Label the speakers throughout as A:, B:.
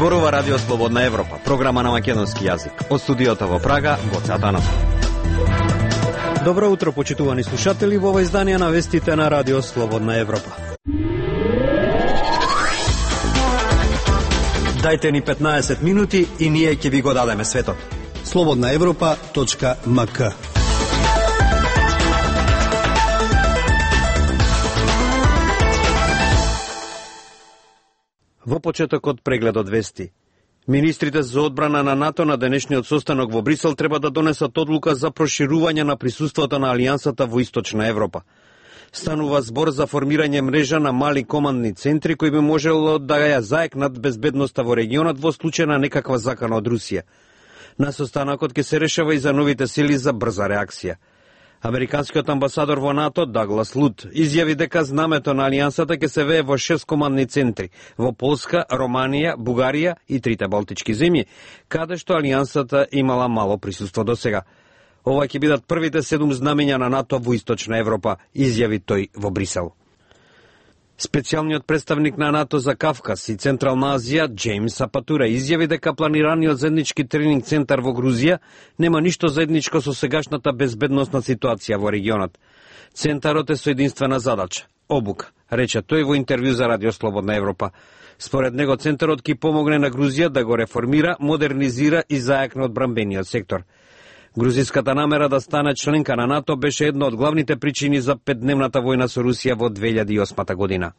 A: Зборува Радио Слободна Европа, програма на македонски јазик. Од студиото во Прага, Гоце Атанасов. Добро утро, почитувани слушатели, во ова издание на вестите на Радио Слободна Европа. Дајте ни 15 минути и ние ќе ви го дадеме светот.
B: slobodnaevropa.mk.
A: Во почетокот прегледот вести. Министрите за одбрана на НАТО на денешниот состанок во Брисел треба да донесат одлука за проширување на присуството на Алијансата во Источна Европа. Станува збор за формирање мрежа на мали командни центри кои би можело да ја заекнат безбедноста во регионот во случај на некаква закана од Русија. На состанокот ќе се решава и за новите сили за брза реакција. Американскиот амбасадор во НАТО Даглас Лут изјави дека знамето на Алијансата ќе се вее во 6 командни центри во Полска, Романија, Бугарија и 3 балтички земји, каде што Алијансата имала мало присуство досега. Ова ќе бидат првите 7 знамења на НАТО во Источна Европа, изјави тој во Брисел. Специјалниот представник на НАТО за Кавказ и Централна Азија, Джеймс Апатура, изјави дека планираниот заеднички тренинг центар во Грузија нема ништо заедничко со сегашната безбедносна ситуација во регионот. Центарот е со единствена задача – обука, рече тој во интервју за Радио Слободна Европа. Според него центарот ќе помогне на Грузија да го реформира, модернизира и заекне одбранбениот сектор. Грузиската намера да стане членка на НАТО беше една од главните причини за 5-дневната војна со Русија во 2008 година.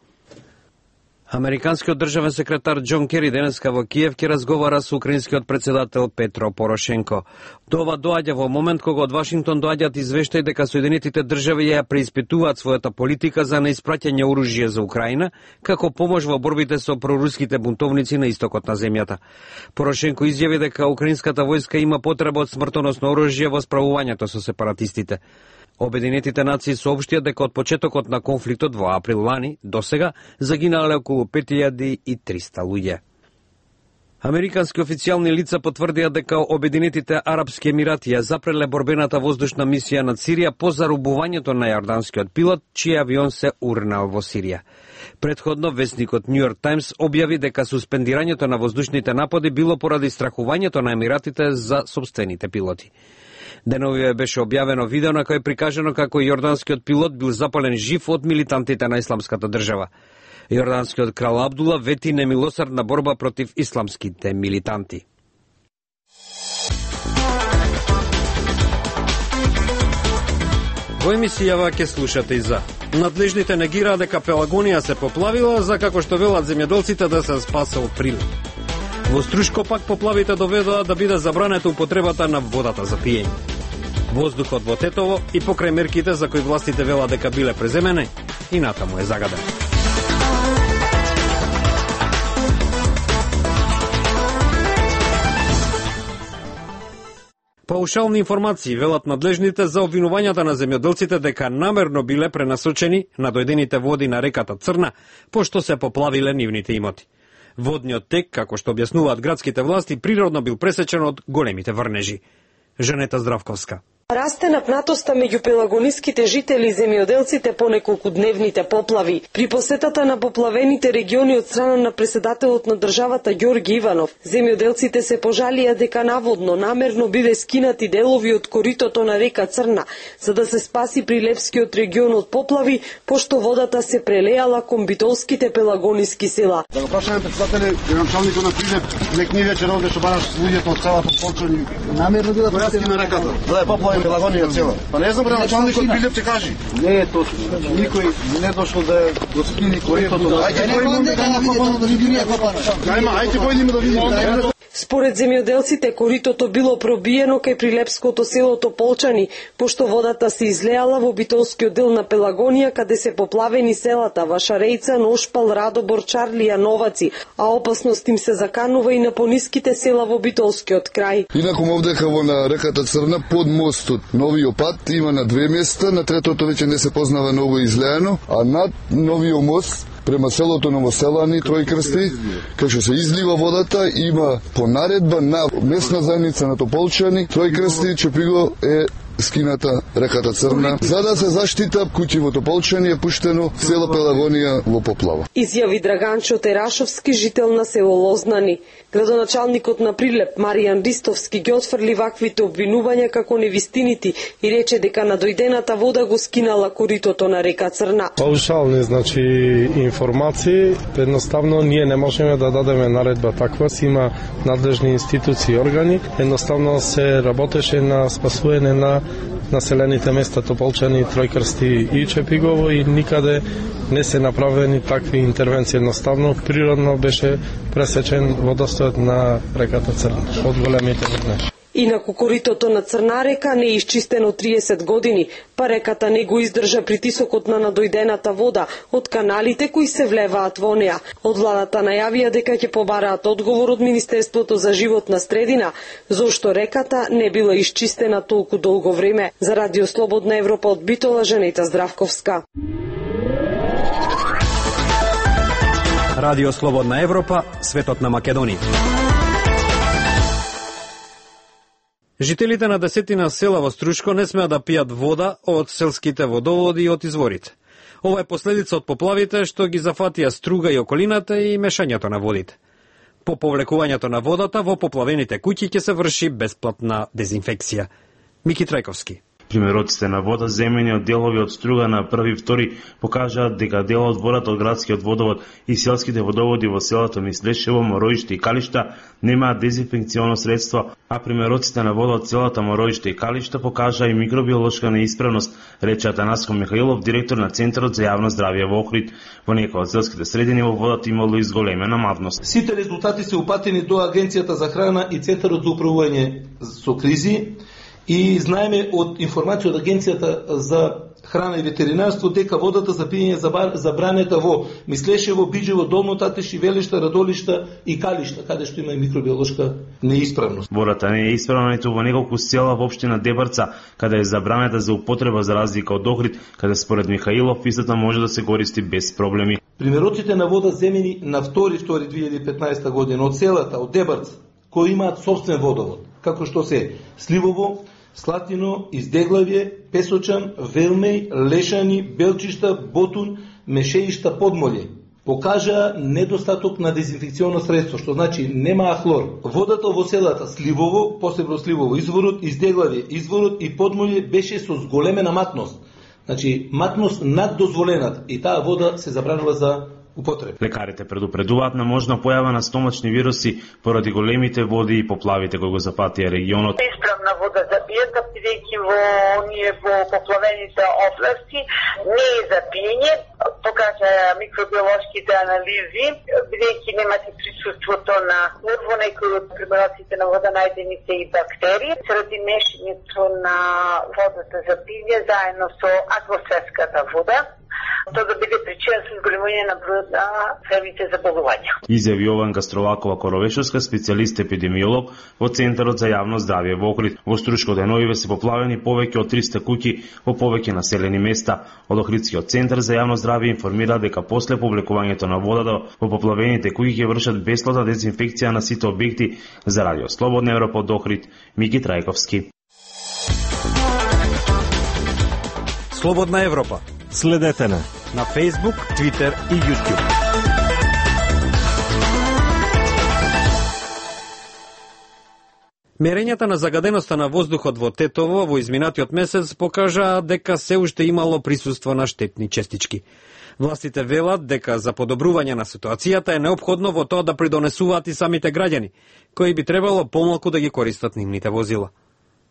A: Американскиот државен секретар Џон Кери денеска во Киев ќе разговара со украинскиот председател Петро Порошенко. Тоа доаѓа во момент кога од Вашингтон доаѓаат извештаи дека Соединетите држави ја преиспитуваат својата политика за неиспраќање оружје за Украина, како помош во борбите со проруските бунтовници на истокот на земјата. Порошенко изјави дека украинската војска има потреба од смртоносно оружје во справувањето со сепаратистите. Обединетите нации соопштија дека од почетокот на конфликтот во април лани до сега загинале околу 5300 луѓе. Американски официјални лица потврдија дека Обединетите Арапски Емирати ја запреле борбената воздушна мисија над Сирија по зарубувањето на јорданскиот пилот, чиј авион се урнал во Сирија. Предходно весникот Нью Йорк Таймс објави дека суспендирањето на воздушните напади било поради страхувањето на Емиратите за сопствените пилоти. Деновиве беше објавено видео на кој е прикажано како јорданскиот пилот бил запален жив од милитантите на Исламската држава. Јорданскиот крал Абдула вети немилосрдна борба против исламските милитанти. Во емисијава ќе слушате и за надлежните негираат дека Пелагонија се поплавила, за како што велат земјоделците да се спасел прилив. Во Струшко пак поплавите доведоа да биде забранета употребата на водата за пиење. Воздухот во Тетово и покрај мерките за кои властите велат дека биле преземени, и натаму е загаден. Паушални информации велат надлежните за обвинувањата на земјоделците дека намерно биле пренасочени на дојдените води на реката Црна, пошто се поплавиле нивните имоти. Водниот тек, како што објаснуваат градските власти, природно бил пресечен од големите врнежи. Жанета Здравковска.
C: Расте напнатоста меѓу пелагониските жители и земјоделците по неколкудневните поплави. При посетата на поплавените региони од страна на председателот на државата Ѓорги Иванов, земјоделците се пожалија дека наводно намерно биле скинати делови од коритото на река Црна, за да се спаси Прилепскиот регион од поплави, пошто водата се прелеала кон битолските пелагониски села.
D: Да го прашаме председателе, граначалникот на Прилеп, некни вечер овде што бараш луѓето од селото Полчани, намерно била појаски на реката. Да е поплави Пелагонија цела. Па не знам, граначалникот Прилеп ќе каже. Не е точно. Никој не дошол да го скини коритото. Ајде појдеме да видиме.
C: Според земјоделците, коритото било пробиено кај Прилепското селото Полчани, пошто водата се излеала во битолскиот дел на Пелагонија, каде се поплавени селата Вашарејца, Ношпал, Радобор, Чарлија, Новаци, а опасност им се заканува и на пониските села во битолскиот крај.
E: Инаку овдека во на реката Црна под мостот новиот пат има на 2 места, на третото веќе не се познава ново излеано, а над новиот мост према селото Новоселани, Тројкрсти, кај што се излива водата, има по наредба на местна заедница на Тополчани, Тројкрсти, Чепиго е скината реката Црна, за да се заштита куќи во Тополчани е пуштено село Пелагонија во поплава.
C: Изјави Драганчо Терашовски, жител на село Лознани. Градоначалникот на Прилеп Маријан Ристовски ги отфрли ваквите обвинувања како невистинити и рече дека надојдената вода го скинала коритото на река Црна.
B: Паушални, значи, информации, едноставно ние не можеме да дадеме наредба таква, си има надлежни институции и органи, едноставно се работеше на спасување на населените места Тополчани, Тројкрсти и Чепигово и никаде не се направени такви интервенции. Едноставно, природно беше пресечен водостојот на реката Црна од големите воднеши.
C: Инаку коритото на Црна река не е исчистено 30 години, па реката не го издржа притисокот на надојдената вода од каналите кои се влеваат во неа. Од владата најавија дека ќе побараат одговор од Министерството за животна средина, зошто реката не била исчистена толку долго време. За Радио Слободна Европа од Битола, Жанета Здравковска.
F: Радио Слободна Европа, светот на Македонија.
A: Жителите на десетина села во Струшко не смеат да пијат вода од селските водоводи и од изворите. Ова е последица од поплавите што ги зафатија Струга и околината и мешањето на водите. По повлекувањето на водата во поплавените куќи ќе се врши бесплатна дезинфекција. Мики Трајковски.
G: Примероците на вода земени од делови од Струга на 1-2 покажаат дека дел од водата од градскиот водовод и селските водоводи во селото Мислешево, Мороиште и Калишта немаат дезинфекционо средство, а примероците на вода од селата Мороиште и Калишта покажаа и микробиолошка неисправност, рече Атанаско Михаилов, директор на Центарот за јавно здравје во Охрид. Во некои од селските средини во водата имало изголемена мавност.
H: Сите резултати се упатени до Агенцијата за храна и Центарот за управување со кризи. И знаеме од информација од Агенцијата за храна и ветеринарство дека водата за пиење забранета во Мислешево, Биџево, Долно Татиш, Велишта, Радолишта и Калишта, каде што има и микробиолошка неисправност.
G: Водата не е исправна ниту во неколку села во општина Дебарца, каде е забранета за употреба за разлика од Охрид, каде според Михаилов истата може да се користи без проблеми.
H: Примероците на вода земени на 2.2.2015 година од селата од Дебарца, кои имаат собствен водовод, како што се Сливово, Слатино, Издеглавје, Песочан, Велмеј, Лешани, Белчишта, Ботун, Мешеишта, Подмолје, покажа недостаток на дезинфекционо средство, што значи немаа хлор. Водата во селата Сливово, посебно Сливово изворот, Издеглавје изворот и Подмолје беше со зголемена матност. Значи матност над дозволената и таа вода се забранила за употреба.
G: Лекарите предупредуваат на можна појава на стомачни вируси поради големите води и поплавите кои го запатија регионот.
I: Исправна вода за пијата, бидејќи во поплавените области не е за пиење, покажа микробиолошките анализи, бидејќи немате присуството на во некои од примероците на вода најдени се и бактерии, заради мешањето на водата за пиење заедно со атмосферската вода. Тоа да биде причина со зголемување на бројот на цревните заболувања.
G: Изјави Јованка Стровакова Коровешовска, специјалист епидемиолог во Центарот за јавно здравје во Охрид. Во Струшко деновиве се поплавени повеќе од 300 куќи во повеќе населени места. Од Охридскиот центар за јавно здравје информира дека после повлекувањето на водата во поплавените куќи ќе вршат бесплатна дезинфекција на сите објекти. За Радио Слободна Европа од Охрид, Мики Трајковски.
F: Слободна Европа. Следете на Facebook, Twitter и YouTube.
A: Мерењата на загаденоста на воздухот во Тетово во изминатиот месец покажаа дека се уште имало присуство на штетни честички. Властите велат дека за подобрување на ситуацијата е неопходно во тоа да придонесуваат и самите граѓани, кои би требало помалку да ги користат нивните возила.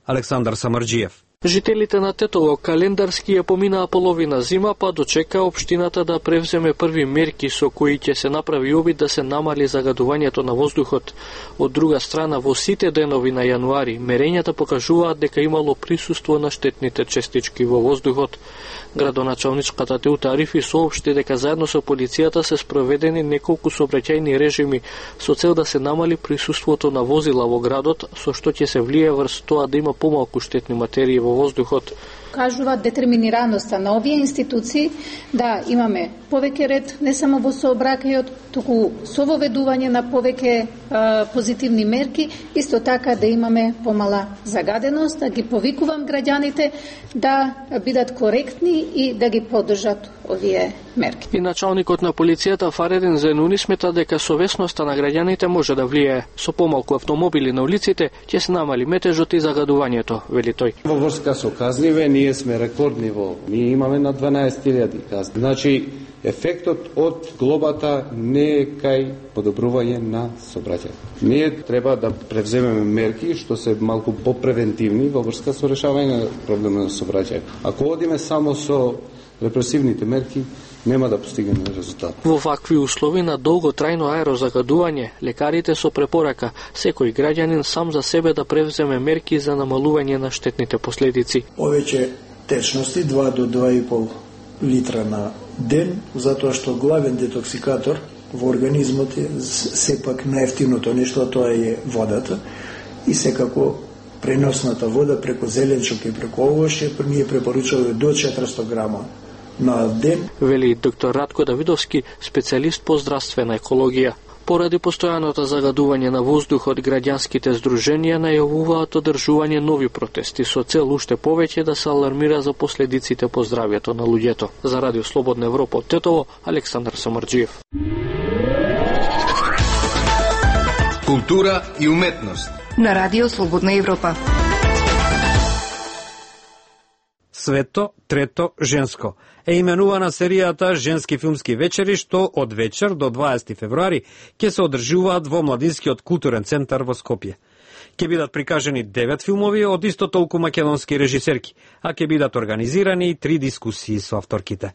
A: Александар Самарџиев.
J: Жителите на Тетово календарски ја поминаа половина зима, па дочека општината да превземе први мерки со кои ќе се направи обид да се намали загадувањето на воздухот. Од друга страна, во сите денови на јануари, мерењата покажуваат дека имало присуство на штетните честички во воздухот. Градоначалничката Теута Арифи соопшти дека заедно со полицијата се спроведени неколку сообраќајни режими со цел да се намали присуството на возила во градот, со што ќе се влие врз тоа да има помалку штетни материи во воздухот.
K: покажува детерминираноста на овие институции да имаме повеќе ред не само во сообраќајот, туку со воведување на повеќе позитивни мерки, исто така да имаме помала загаденост, да ги повикувам граѓаните да бидат коректни и да ги поддржат овие мерки.
J: И началникот на полицијата Фаредин Зенуни смета дека совесноста на граѓаните може да влијае. Со помалку автомобили на улиците ќе се намали метежот и загадувањето, вели тој.
L: Во врска со казниве, ние сме рекордни ние имаме на 12.000 казни. Значи, ефектот од глобата не е кај подобрување на сообраќајот. Ние треба да превземеме мерки што се малку попревентивни во врска со решавање на проблемот на сообраќајот. Ако одиме само со репресивните мерки, нема да постигнеме резултат.
J: Во вакви услови на долготрајно аерозагадување, лекарите со препорака секој граѓанин сам за себе да превземе мерки за намалување на штетните последици.
M: Повеќе течности 2 до 2,5 литра на ден, затоа што главен детоксикатор во организмот е сепак најевтиното нешто, тоа е водата и секако преносната вода преку зеленчук и преку овоше ние препорачуваме до 400 грама на ден.
J: Вели доктор Радко Давидовски, специјалист по здравствена екологија. Поради постојаното загадување на воздухот, граѓанските здруженија најавуваат одржување нови протести со цел уште повеќе да се алармира за последиците по здравјето на луѓето. За Радио Слободна Европа од Тетово, Александар Самарџиев.
N: Култура и уметност
O: на Радио Слободна Европа.
A: Свето трето женско е именувана серијата Женски филмски вечери, што од вечер до 20 февруари ќе се одржуваат во Младинскиот културен центар во Скопје. Ќе бидат прикажани 9 филмови од исто толку македонски режисерки, а ќе бидат организирани и 3 дискусии со авторките.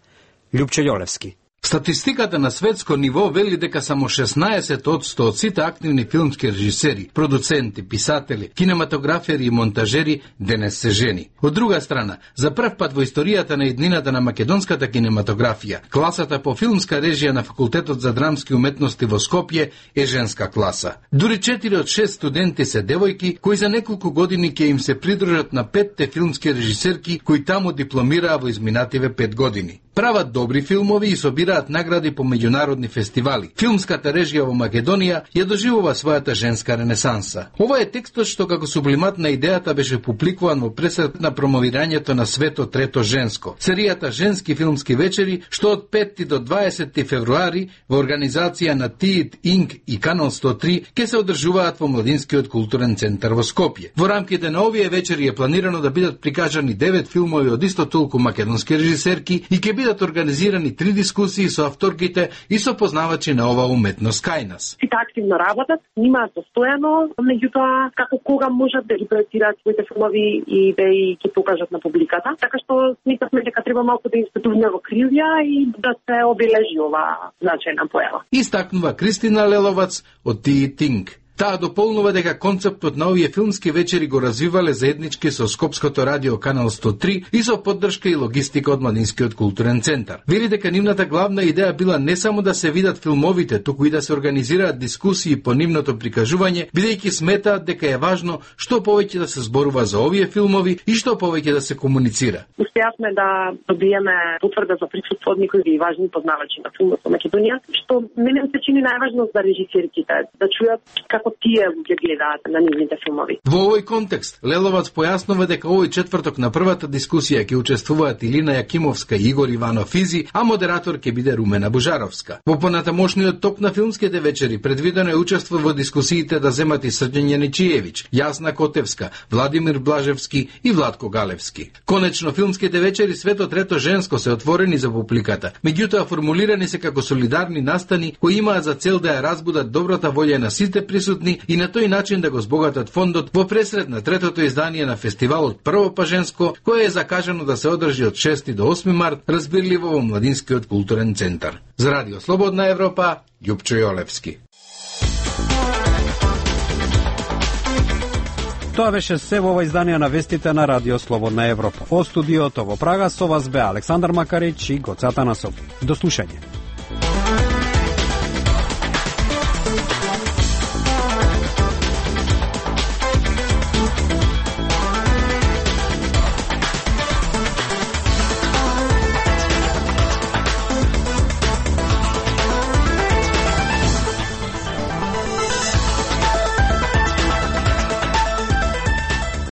A: Љупче Јолевски.
P: Статистиката на светско ниво вели дека само 16% од сите активни филмски режисери, продуценти, писатели, кинематографери и монтажери денес се жени. Од друга страна, за прв пат во историјата на иднината на македонската кинематографија, класата по филмска режија на Факултетот за драмски уметности во Скопје е женска класа. Дури 4 од 6 студенти се девојки, кои за неколку години ќе им се придружат на 5 филмски режисерки кои таму дипломираа во изминативе 5 години. Прават добри филмови и собираат награди по меѓународни фестивали. Филмската режија во Македонија ја доживува својата женска ренесанса. Ова е текстот што како сублимат на идејата беше публикуван во пресед на промовирањето на Свето трето женско. Серијата Женски филмски вечери, што од 5 до 20 февруари во организација на ТИИТ, Инк и Канал 103 ќе се одржуваат во Младинскиот културен центар во Скопје. Во рамките на овие вечери е планирано да бидат прикажани 9 филмови од исто толку македонски режисерки и ќе бидат организирани 3 дискусии со авторките и со познавачи на ова уметност кај нас.
Q: Сите активно работат, снимаат постојано, меѓутоа како кога можат да ги проектираат своите филмови и да ги покажат на публиката. Така што сметавме дека треба малку да институваме во крилја и да се обележи ова значајна појава.
P: Истакнува Кристина Леловац од ТИИТ. Таа дополнува дека концептот на овие филмски вечери го развивале заеднички со Скопското радио Канал 103 и со поддршка и логистика од Младинскиот културен центар. Вели дека нивната главна идеја била не само да се видат филмовите, туку и да се организираат дискусии по нивното прикажување, бидејќи сметаат дека е важно што повеќе да се зборува за овие филмови и што повеќе да се комуницира.
Q: Успеавме да добиеме потврда за присуство од некои важни познавачи на филмот во Македонија, што мене се чини најважно за режисерките, да чујат како тие ги гледаат на нивните филмови.
P: Во овој контекст, Леловац појаснува дека овој четврток на првата дискусија ќе учествуваат Илина Јакимовска и Игор Иванов Изи, а модератор ќе биде Румена Бужаровска. Во понатамошниот ток на филмските вечери предвидено е учество во дискусиите да земат и Срđan Јаничиевиќ, Јасна Котевска, Владимир Блажевски и Владко Галевски. Конечно, филмските вечери Свето трето женско се отворени за публиката, меѓутоа формулирани се како солидарни настани кои имаат за цел да ја разбудат добрата волја на сите присутни и на тој начин да го збогатат фондот во пресред на третото издание на фестивалот Прво па женско, кое е закажано да се одржи од 6 до 8 март, разбирливо во Младинскиот културен центар. За Радио Слободна Европа, Љупчо Јолевски.
A: Тоа беше се во ова издание на вестите на Радио Слободна Европа. Од студиото во Прага со вас бе Александар Макарич и Гоце Атанасов. До слушање.